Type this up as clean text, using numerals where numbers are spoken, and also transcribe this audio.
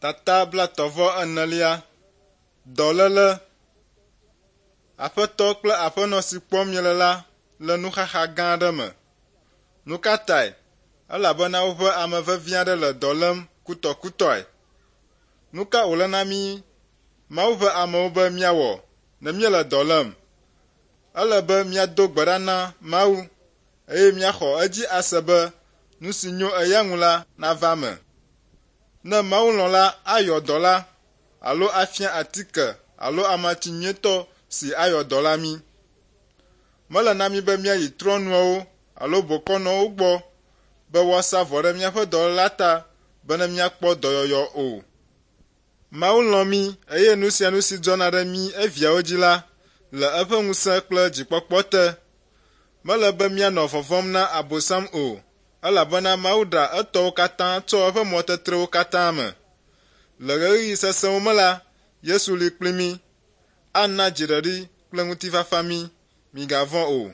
Tata blaetɔ̃-vɔ-enelia. Dɔléle. Aƒetɔ kple aƒenɔ si kpɔm miele la le nuxaxa gã aɖe me. Nu ka tae? Elabena woƒe ame vevi aɖe le dɔ lém kutɔkutɔe. Nu ka wòle na mí Mawu ƒe amewo be míawɔ ne míele dɔ lém? Ele be míado gbe ɖa na Mawu eye míaxɔ edzi ase be nu si nyo eya ŋu la nava eme. Ne Mawu lɔ̃ la, ayɔ dɔ la alo afia atike alo amatsi nyuietɔ si ayɔ dɔ la mí. Mele na mí be míayi trɔ̃nuawo alo bokɔnɔwo gbɔ be woasa vɔ ɖe míaƒe dɔlélea ta bene míakpɔ dɔyɔyɔ o. Mawu lɔ̃ mí eye nu sia nu si dzɔna ɖe mí eviawo dzi la le eƒe ŋusẽ kple dzikpɔkpɔ te. Mele be míanɔ vɔvɔ̃m na Abosam o, elabena Mawu ɖea etɔwo katã tsoa eƒe mɔtetrewo katã me. Le ɣeyiɣi sesẽwo me la, Yesu li kpli mí. Ana dziɖeɖi kple ŋutifafa mí. Migavɔ̃ o.